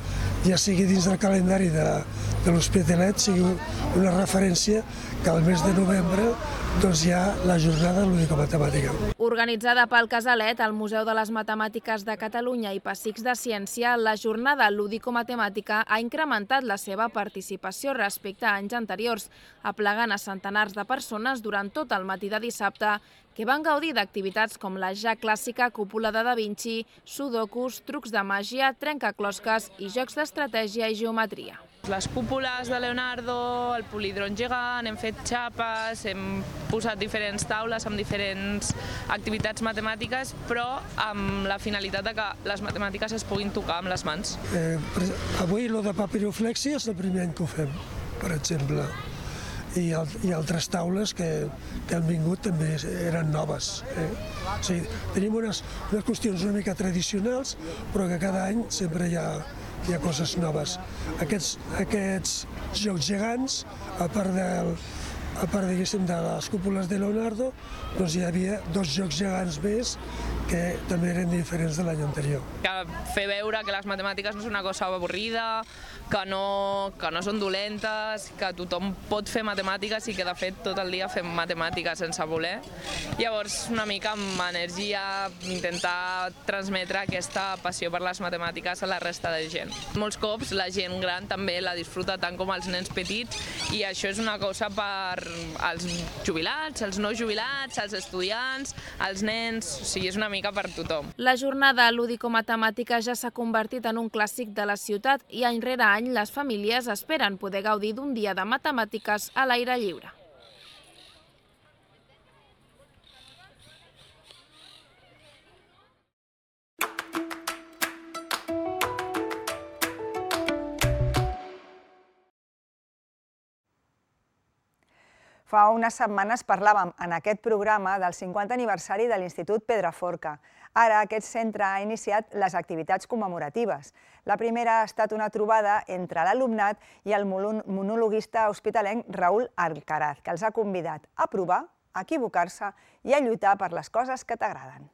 ja sigui dins del calendari de l'Hospitalet, sigui una referència que al mes de novembre hi ha la jornada lúdico-matemàtica. Organitzada pel Casalet, el Museu de les Matemàtiques de Catalunya i Pessics de Ciència, la jornada lúdico-matemàtica ha incrementat la seva participació respecte a anys anteriors, aplegant a centenars de persones durant tot el matí de dissabte, que van gaudir d'activitats com la ja clàssica cúpula de Da Vinci, sudokus, trucs de màgia, trencaclosques i jocs d'estratègia i geometria. Les cúpules de Leonardo, el polidron gegant, hem fet xapes, hem posat diferents taules amb diferents activitats matemàtiques, però amb la finalitat de que les matemàtiques es puguin tocar amb les mans. Avui el de papiroflexia és el primer any que ho fem, per exemple. I altres taules que han vingut també eren noves. O sigui, tenim unes qüestions una mica tradicionals, però que cada any sempre hi ha coses noves. Aquests jocs gegants, a part de les cúpules de Leonardo, hi havia dos jocs gegants més que també eren diferents de l'any anterior. Fer veure que les matemàtiques no és una cosa avorrida, que no són dolentes, que tothom pot fer matemàtiques i que de fet tot el dia fem matemàtiques sense voler. Llavors una mica amb energia intentar transmetre aquesta passió per les matemàtiques a la resta de gent. Molts cops la gent gran també la disfruta tant com els nens petits i això és una cosa per als jubilats, els no jubilats, els estudiants, els nens, o sigui, és una mica per tothom. La jornada lúdico-matemàtica ja s'ha convertit en un clàssic de la ciutat i any rere any les famílies esperen poder gaudir d'un dia de matemàtiques a l'aire lliure. Fa unes setmanes parlàvem en aquest programa del 50 aniversari de l'Institut Pedraforca. Ara aquest centre ha iniciat les activitats commemoratives. La primera ha estat una trobada entre l'alumnat i el monologuista hospitalenc Raül Alcaraz, que els ha convidat a provar, a equivocar-se i a lluitar per les coses que t'agraden.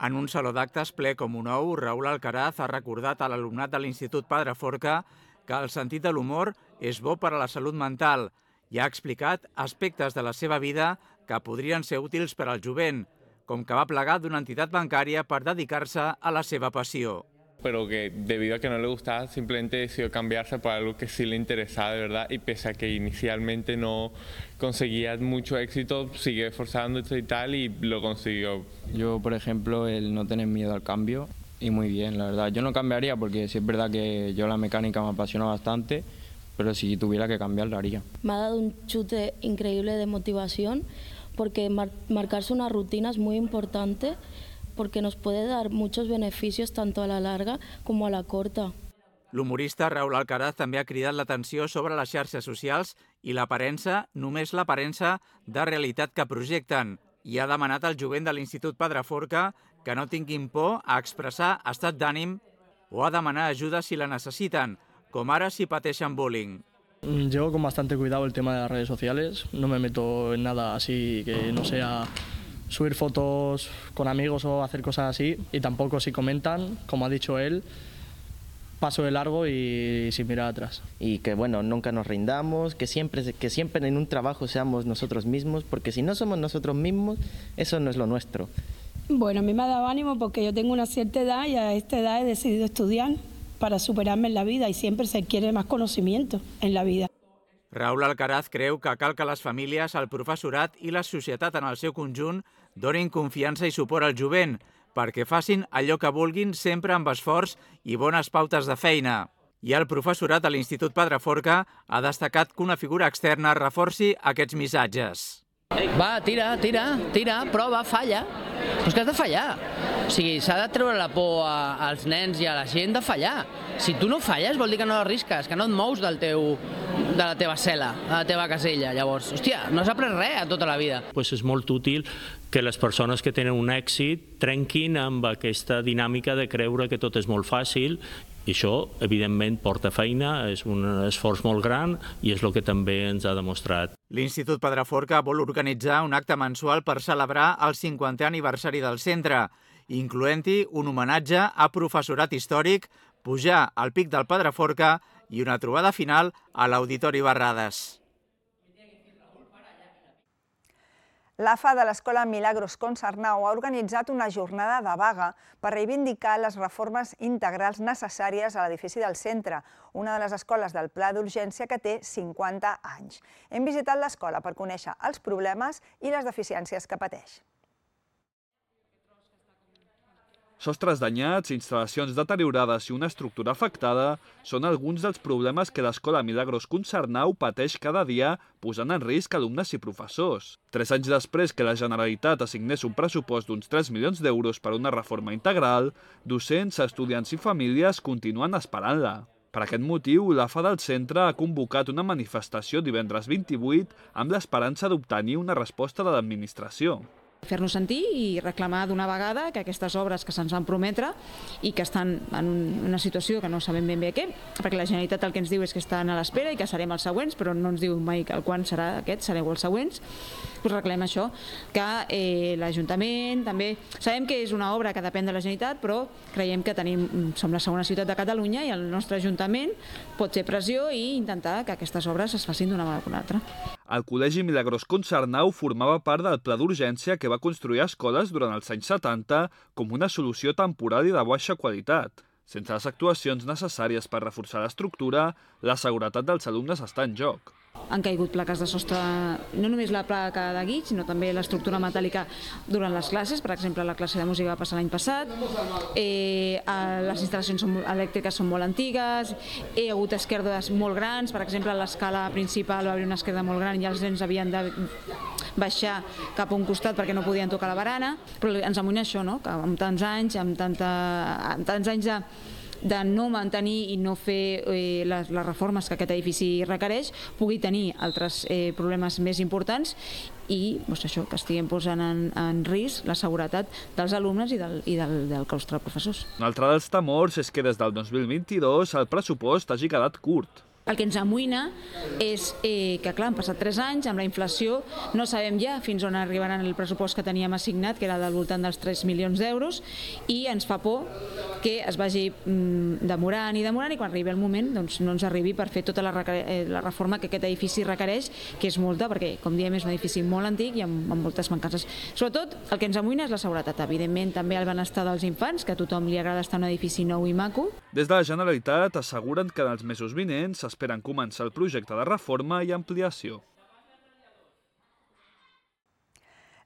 En un saló d'actes ple com un ou, Raül Alcaraz ha recordat a l'alumnat de l'Institut Pedraforca que el sentit de l'humor és bo per a la salut mental i ha explicat aspectes de la seva vida que podrien ser útils per al jovent, com que va plegar d'una entitat bancària per dedicar-se a la seva passió. Pero que debido a que no le gustaba, simplemente decidió cambiarse por algo que sí le interesaba de verdad y pese a que inicialmente no conseguía mucho éxito, siguió esforzándose y tal y lo consiguió. Yo, por ejemplo, el no tener miedo al cambio y muy bien, la verdad. Yo no cambiaría porque sí es verdad que yo la mecánica me apasiona bastante, pero si tuviera que cambiar, lo haría. Me ha dado un chute increíble de motivación porque marcarse una rutina es muy importante porque nos puede dar muchos beneficios tanto a la larga como a la corta. L'humorista Raül Alcaraz també ha cridat l'atenció sobre les xarxes socials i l'aparença, només l'aparença de realitat que projecten, i ha demanat al jovent de l'Institut Pedraforca que no tinguin por a expressar estat d'ànim o a demanar ajuda si la necessiten, com ara si pateixen bullying. Llevo con bastante cuidado el tema de las redes sociales, no me meto en nada así que no sea subir fotos con amigos o hacer cosas así, y tampoco si comentan, como ha dicho él, paso de largo y sin mirar atrás. Y que bueno, nunca nos rindamos, que siempre en un trabajo seamos nosotros mismos, porque si no somos nosotros mismos, eso no es lo nuestro. Bueno, a mí me ha dado ánimo porque yo tengo una cierta edad y a esta edad he decidido estudiar para superarme en la vida y siempre se quiere más conocimiento en la vida. Raül Alcaraz creu que cal que les famílies, el professorat i la societat en el seu conjunt donin confiança i suport al jovent perquè facin allò que vulguin sempre amb esforç i bones pautes de feina. I el professorat de l'Institut Pedraforca ha destacat que una figura externa reforci aquests missatges. Va, tira, prova, falla. Però és que has de fallar. O sigui, s'ha de treure la por als nens i a la gent de fallar. Si tu no falles vol dir que no l'arrisques, que no et mous de la teva cel·la, de la teva casella. Llavors, hòstia, no has après res a tota la vida. És molt útil que les persones que tenen un èxit trenquin amb aquesta dinàmica de creure que tot és molt fàcil. I això, evidentment, porta feina, és un esforç molt gran i és el que també ens ha demostrat. L'Institut Pedraforca vol organitzar un acte mensual per celebrar el 50è aniversari del centre, incloent-hi un homenatge a professorat històric, pujar al pic del Pedraforca i una trobada final a l'Auditori Barrades. L'AFA de l'Escola Milagros Consarnau ha organitzat una jornada de vaga per reivindicar les reformes integrals necessàries a l'edifici del centre, una de les escoles del Pla d'Urgència que té 50 anys. Hem visitat l'escola per conèixer els problemes i les deficiències que pateix. Sostres danyats, instal·lacions deteriorades i una estructura afectada són alguns dels problemes que l'Escola Milagros Consarnau pateix cada dia, posant en risc alumnes i professors. 3 anys després que la Generalitat assignés un pressupost d'uns 3 milions d'euros per una reforma integral, docents, estudiants i famílies continuen esperant-la. Per aquest motiu, l'AFA del centre ha convocat una manifestació divendres 28 amb l'esperança d'obtenir una resposta de l'administració. Fer-nos sentir i reclamar d'una vegada que aquestes obres que se'ns van prometre i que estan en una situació que no sabem ben bé què, perquè la Generalitat el que ens diu és que estan a l'espera i que serem els següents, però no ens diu mai quan serà aquest, sereu els següents, doncs reclamem això, que l'Ajuntament també... Sabem que és una obra que depèn de la Generalitat, però creiem que som la segona ciutat de Catalunya i el nostre Ajuntament pot fer pressió i intentar que aquestes obres es facin d'una manera o d'una altra. El Col·legi Milagros Concarnau formava part del pla d'urgència que va construir escoles durant els anys 70 com una solució temporal i de baixa qualitat. Sense les actuacions necessàries per reforçar l'estructura, la seguretat dels alumnes està en joc. Han caigut plaques de sostre, no només la placa de guix, sinó també l'estructura metàl·lica durant les classes. Per exemple, la classe de música va passar l'any passat. Les instal·lacions elèctriques són molt antigues. Hi ha hagut esquerdes molt grans. Per exemple, a l'escala principal va haver una esquerda molt gran i els nens havien de baixar cap a un costat perquè no podien tocar la barana. Però ens amoïna això, no? Que amb tants anys de no mantenir i no fer les reformes que aquest edifici requereix, pugui tenir altres problemes més importants i això, que estiguem posant en risc la seguretat dels alumnes i del claustre de professors. Un altre dels temors és que des del 2022 el pressupost hagi quedat curt. El que ens amoïna és que, clar, han passat 3 anys, amb la inflació no sabem ja fins on arribaran el pressupost que teníem assignat, que era del voltant dels 3 milions d'euros, i ens fa por que es vagi demorant i quan arribi el moment no ens arribi per fer tota la reforma que aquest edifici requereix, que és molta, perquè, com diem, és un edifici molt antic i amb moltes mancances. Sobretot, el que ens amoïna és la seguretat, evidentment, també el benestar dels infants, que a tothom li agrada estar en un edifici nou i maco. Des de la Generalitat asseguren que en els mesos vinents esperen començar el projecte de reforma i ampliació.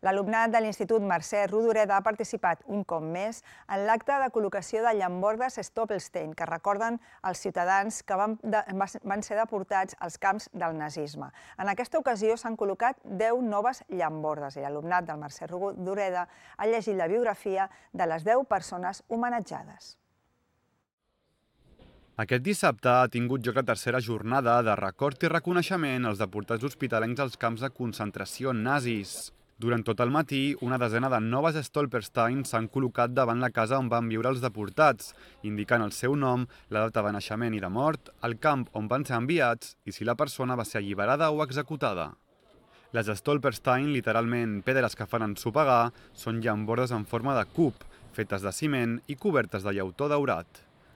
L'alumnat de l'Institut Mercè Rodoreda ha participat un cop més en l'acte de col·locació de llambordes Stoppelstein, que recorden els ciutadans que van ser deportats als camps del nazisme. En aquesta ocasió s'han col·locat 10 noves llambordes i l'alumnat del Mercè Rodoreda ha llegit la biografia de les 10 persones homenatjades. Aquest dissabte ha tingut lloc la tercera jornada de record i reconeixement als deportats hospitalencs als camps de concentració nazis. Durant tot el matí, una desena de noves Stolperstein s'han col·locat davant la casa on van viure els deportats, indicant el seu nom, la data de naixement i de mort, el camp on van ser enviats i si la persona va ser alliberada o executada. Les Stolperstein, literalment pedres que fan ensopegar, són llambordes en forma de cub, fetes de ciment i cobertes de llautó daurat.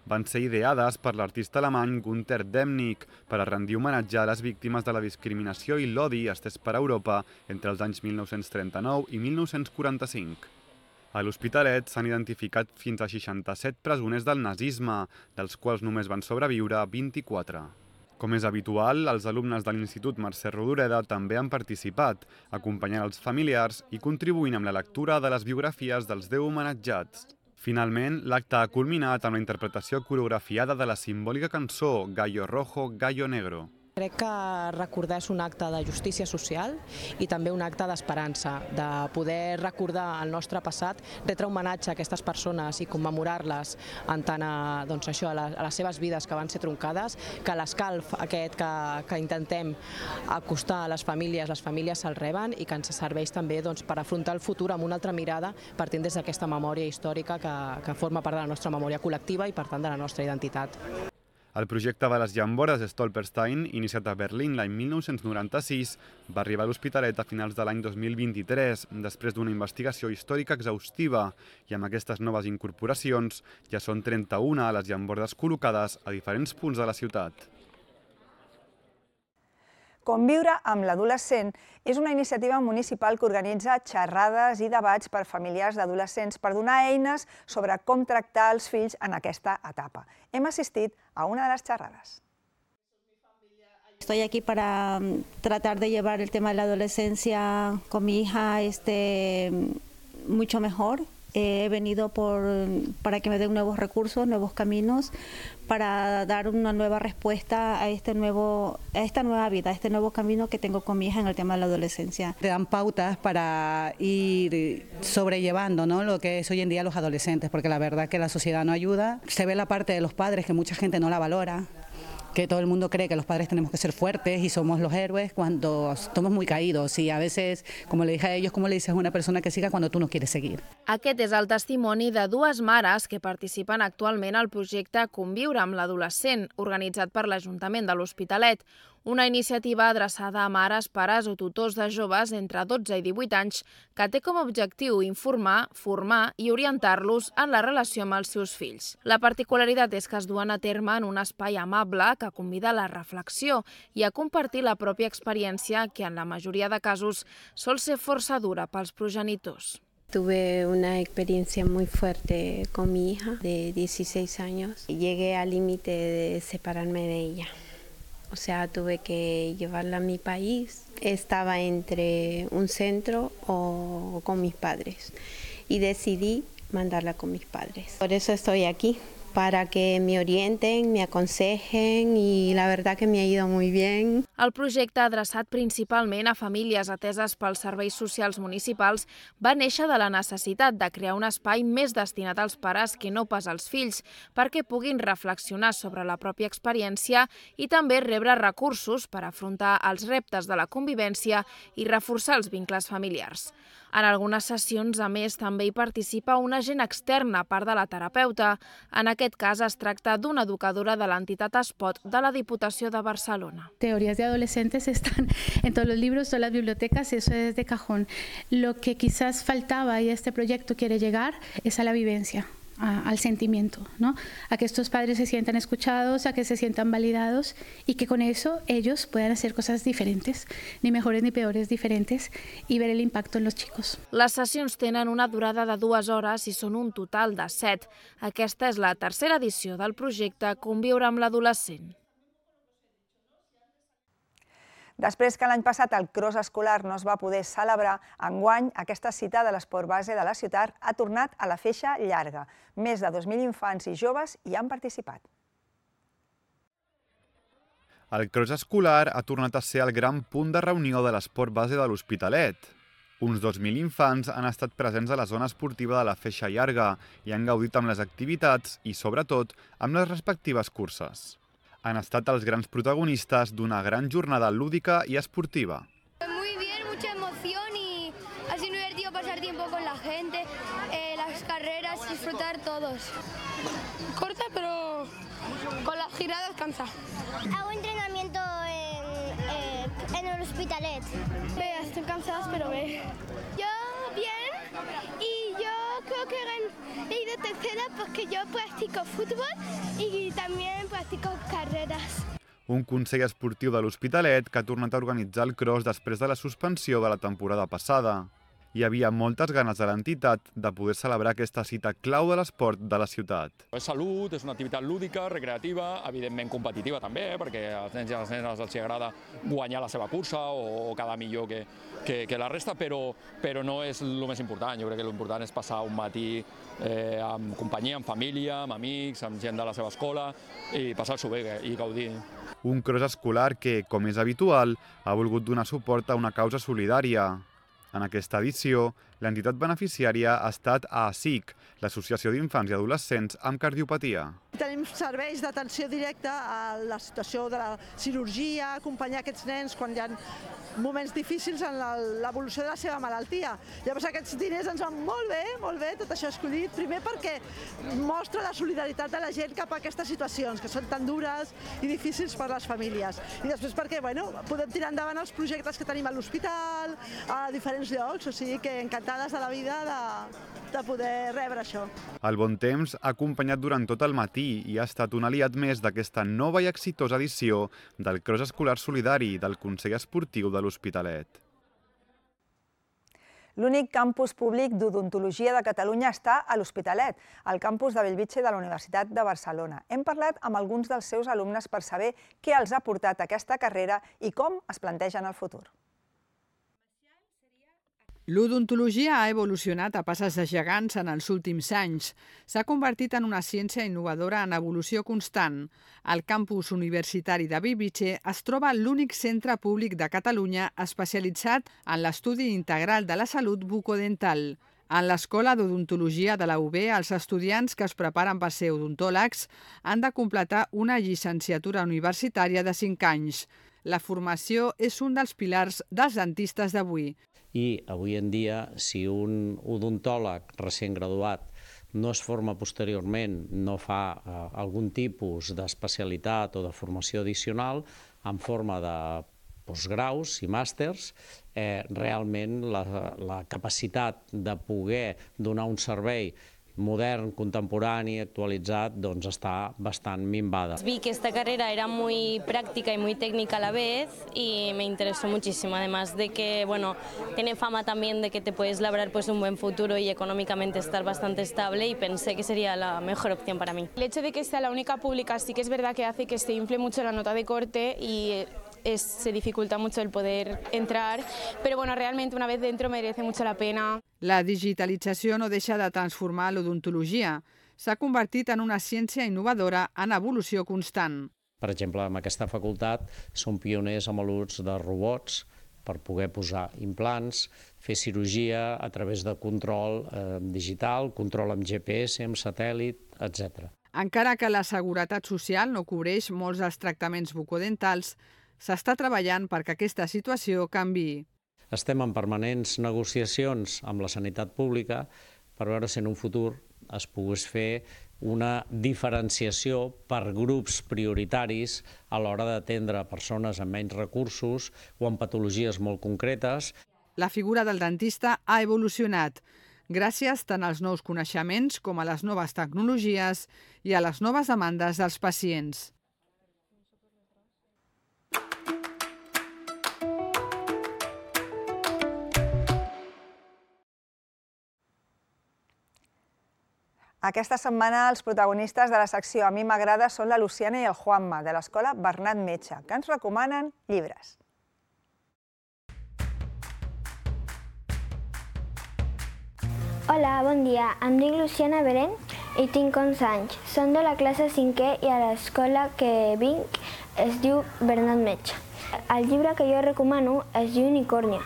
Van ser ideades per l'artista alemany Günther Demnig per a rendir homenatge a les víctimes de la discriminació i l'odi estès per Europa entre els anys 1939 i 1945. A l'Hospitalet s'han identificat fins a 67 presoners del nazisme, dels quals només van sobreviure 24. Com és habitual, els alumnes de l'Institut Mercè Rodoreda també han participat, acompanyant els familiars i contribuint amb la lectura de les biografies dels 10 homenatjats. Finalment, l'acte ha culminat amb la interpretació coreografiada de la simbòlica cançó Gallo Rojo, Gallo Negro. Crec que recordar és un acte de justícia social i també un acte d'esperança, de poder recordar el nostre passat, retre homenatge a aquestes persones i commemorar-les en tant a les seves vides que van ser troncades, que l'escalf aquest que intentem acostar a les famílies se'l reben i que ens serveix també per afrontar el futur amb una altra mirada partint des d'aquesta memòria històrica que forma part de la nostra memòria col·lectiva i per tant de la nostra identitat. El projecte de les llambordes Stolperstein, iniciat a Berlín l'any 1996, va arribar a l'Hospitalet a finals de l'any 2023, després d'una investigació històrica exhaustiva, i amb aquestes noves incorporacions ja són 31 les llambordes col·locades a diferents punts de la ciutat. Conviure amb l'adolescent és una iniciativa municipal que organitza xerrades i debats per familiars d'adolescents per donar eines sobre com tractar els fills en aquesta etapa. Hem assistit a una de les xerrades. Estoy aquí para tratar de llevar el tema de la adolescencia con mi hija mucho mejor. He venido para que me den nuevos recursos, nuevos caminos, para dar una nueva respuesta a esta nueva vida, a este nuevo camino que tengo con mi hija en el tema de la adolescencia. Te dan pautas para ir sobrellevando, ¿no?, lo que es hoy en día los adolescentes, porque la verdad que la sociedad no ayuda. Se ve la parte de los padres que mucha gente no la valora, que todo el mundo cree que los padres tenemos que ser fuertes y somos los héroes cuando estamos muy caídos y a veces, como le dije a ellos, ¿cómo le dices a una persona que siga cuando tú no quieres seguir? Aquest és el testimoni de dues mares que participen actualment al projecte Conviure amb l'adolescent, organitzat per l'Ajuntament de l'Hospitalet, una iniciativa adreçada a mares, pares o tutors de joves entre 12 i 18 anys que té com a objectiu informar, formar i orientar-los en la relació amb els seus fills. La particularitat és que es duen a terme en un espai amable que convida a la reflexió i a compartir la pròpia experiència que en la majoria de casos sol ser força dura pels progenitors. Tuve una experiencia muy fuerte con mi hija de 16 años y llegué al límite de separarme de ella. O sea, tuve que llevarla a mi país. Estaba entre un centro o con mis padres y decidí mandarla con mis padres. Por eso estoy aquí, para que me orienten, me aconsejen y la verdad que me ha ido muy bien. El projecte, adreçat principalment a famílies ateses pels serveis socials municipals, va néixer de la necessitat de crear un espai més destinat als pares que no pas als fills, perquè puguin reflexionar sobre la pròpia experiència i també rebre recursos per afrontar els reptes de la convivència i reforçar els vincles familiars. En algunes sessions, a més, també hi participa un agent extern a part de la terapeuta. En aquest cas, es tracta d'una educadora de l'entitat Espot de la Diputació de Barcelona. Teorías de adolescentes están en todos los libros, todas las bibliotecas, eso es de cajón. Lo que quizás faltaba y este proyecto quiere llegar es a la vivencia, al sentimiento, ¿no? A que estos padres se sientan escuchados, a que se sientan validados y que con eso ellos puedan hacer cosas diferentes, ni mejores ni peores, diferentes, y ver el impacto en los chicos. Les sessions tenen una durada de 2 hores i són un total de 7. Aquesta és la tercera edició del projecte Conviure amb l'adolescent. Després que l'any passat el cross escolar no es va poder celebrar, enguany aquesta cita de l'esport base de la ciutat ha tornat a la feixa llarga. Més de 2.000 infants i joves hi han participat. El cross escolar ha tornat a ser el gran punt de reunió de l'esport base de l'Hospitalet. Uns 2.000 infants han estat presents a la zona esportiva de la feixa llarga i han gaudit amb les activitats i, sobretot, amb les respectives curses. Han estat els grans protagonistes d'una gran jornada lúdica y esportiva. Muy bien, mucha emoción y ha sido divertido pasar tiempo con la gente, las carreras, disfrutar todos. Corta, pero con las giradas cansa. Hago entrenamiento en el Hospitalet. Estoy cansada, pero ve. Yo bien y yo creo que he ido tercera porque yo practico fútbol y también practico carreras. Un consell esportiu de l'Hospitalet que ha tornat a organitzar el cross després de la suspensió de la temporada passada. Hi havia moltes ganes de l'entitat de poder celebrar aquesta cita clau de l'esport de la ciutat. És salut, és una activitat lúdica, recreativa, evidentment competitiva també, perquè als nens i a les nenes els agrada guanyar la seva cursa o quedar millor que la resta, però no és el més important. Jo crec que l'important és passar un matí amb companyia, amb família, amb amics, amb gent de la seva escola i passar-s'ho bé i gaudir. Un cross escolar que, com és habitual, ha volgut donar suport a una causa solidària. En aquesta edició, l'entitat beneficiària ha estat ASIC, l'Associació d'Infants i Adolescents amb Cardiopatia. Tenim serveis d'atenció directa a la situació de la cirurgia, acompanyar aquests nens quan hi ha moments difícils en l'evolució de la seva malaltia. Llavors aquests diners ens van molt bé, tot això escollit, primer perquè mostra la solidaritat de la gent cap a aquestes situacions, que són tan dures i difícils per a les famílies. I després perquè podem tirar endavant els projectes que tenim a l'hospital, a diferents llocs, o sigui que encantades de la vida de poder rebre això. El bon temps ha acompanyat durant tot el matí i ha estat un aliat més d'aquesta nova i exitosa edició del Cross Escolar Solidari del Consell Esportiu de l'Hospitalet. L'únic campus públic d'odontologia de Catalunya està a l'Hospitalet, al campus de Bellvitge de la Universitat de Barcelona. Hem parlat amb alguns dels seus alumnes per saber què els ha portat aquesta carrera i com es plantegen el futur. L'odontologia ha evolucionat a passes de gegants en els últims anys. S'ha convertit en una ciència innovadora en evolució constant. Al campus universitari de Bellvitge es troba l'únic centre públic de Catalunya especialitzat en l'estudi integral de la salut bucodental. En l'Escola d'Odontologia de la UB, els estudiants que es preparen per ser odontòlegs han de completar una llicenciatura universitària de 5 anys. La formació és un dels pilars dels dentistes d'avui. I avui en dia, si un odontòleg recent graduat no es forma posteriorment, no fa algun tipus d'especialitat o de formació addicional en forma de postgraus i màsters, realment la capacitat de poder donar un servei modern, contemporani, actualitzat, doncs està bastant minvada. Vi que esta carrera era muy práctica y muy técnica a la vez y me interesó muchísimo, además de que, bueno, tiene fama también de que te puedes labrar pues un buen futuro y económicamente estar bastante estable, y pensé que sería la mejor opción para mí. El hecho de que sea la única pública sí que es verdad que hace que se infle mucho la nota de corte y se dificulta mucho el poder entrar, pero bueno, realmente una vez dentro merece mucho la pena. La digitalització no deixa de transformar l'odontologia. S'ha convertit en una ciència innovadora en evolució constant. Per exemple, en aquesta facultat som pioners amb l'ús de robots per poder posar implants, fer cirurgia a través de control digital, control amb GPS, amb satèl·lit, etc. Encara que la Seguretat Social no cobreix molts dels tractaments bucodentals, s'està treballant perquè aquesta situació canviï. Estem en permanents negociacions amb la sanitat pública per veure si en un futur es pogués fer una diferenciació per grups prioritaris a l'hora d'atendre persones amb menys recursos o amb patologies molt concretes. La figura del dentista ha evolucionat gràcies tant als nous coneixements com a les noves tecnologies i a les noves demandes dels pacients. Aquesta setmana els protagonistes de la secció A mi m'agrada són la Luciana i el Juanma, de l'escola Bernat Metge, que ens recomanen llibres. Hola, bon dia. Em dic Luciana Belén i tinc 11 anys. Som de la classe 5è i a l'escola que vinc es diu Bernat Metge. El llibre que jo recomano es diu Unicornia.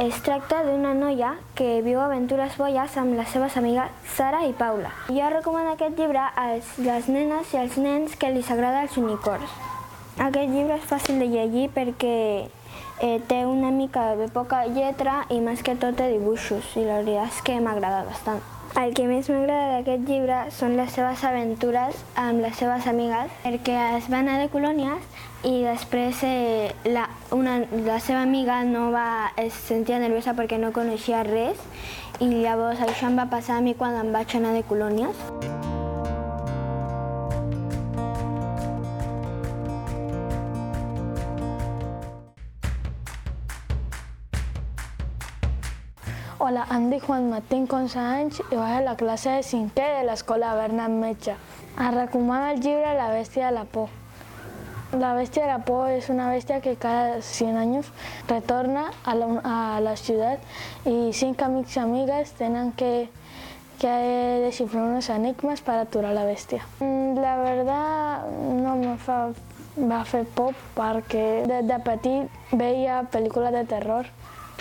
Es tracta d'una noia que viu aventures boies amb les seves amigues Sara i Paula. Jo recomano aquest llibre a les nenes i als nens que els agraden els unicorns. Aquest llibre és fàcil de llegir perquè té una mica de poca lletra i més que tot té dibuixos, i la veritat és que m'agrada bastant. El que més m'agrada d'aquest llibre són les seves aventures amb les seves amigues, perquè es van anar de colònies i després la seva amiga es sentia nerviosa perquè no coneixia res, i llavors això em va passar a mi quan em vaig anar de colònies. Hola, em dic Juanma, tinc 11 anys i vaig a la classe de 5è de l'escola Bernat Metge. Es recomana el llibre La bèstia de la por. La bèstia de la por és una bèstia que cada 100 anys retorna a la ciutat i 5 amics i amigues tenen que desxifrar unos enigmes per aturar la bèstia. La verdad no me va fer por perquè des de petit veia pel·lícules de terror.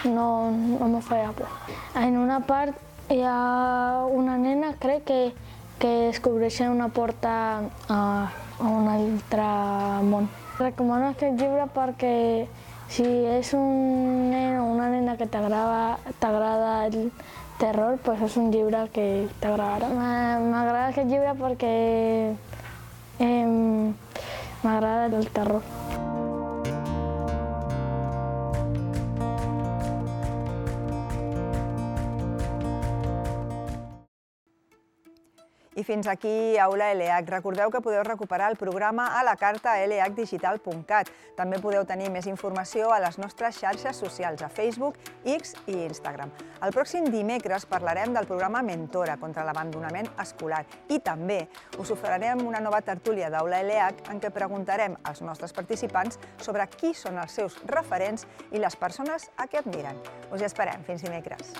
No me feia por. En una part hi ha una nena, crec, que descobreix una porta a un altre món. Recomano aquest llibre perquè si és un nen o una nena que t'agrada el terror, doncs és un llibre que t'agradarà. M'agrada aquest llibre perquè m'agrada el terror. I fins aquí Aula ELEAC. Recordeu que podeu recuperar el programa a la carta a leacdigital.cat. També podeu tenir més informació a les nostres xarxes socials, a Facebook, X i Instagram. El pròxim dimecres parlarem del programa Mentora contra l'abandonament escolar i també us oferirem una nova tertúlia d'Aula ELEAC en què preguntarem als nostres participants sobre qui són els seus referents i les persones a què admiren. Us hi esperem. Fins dimecres.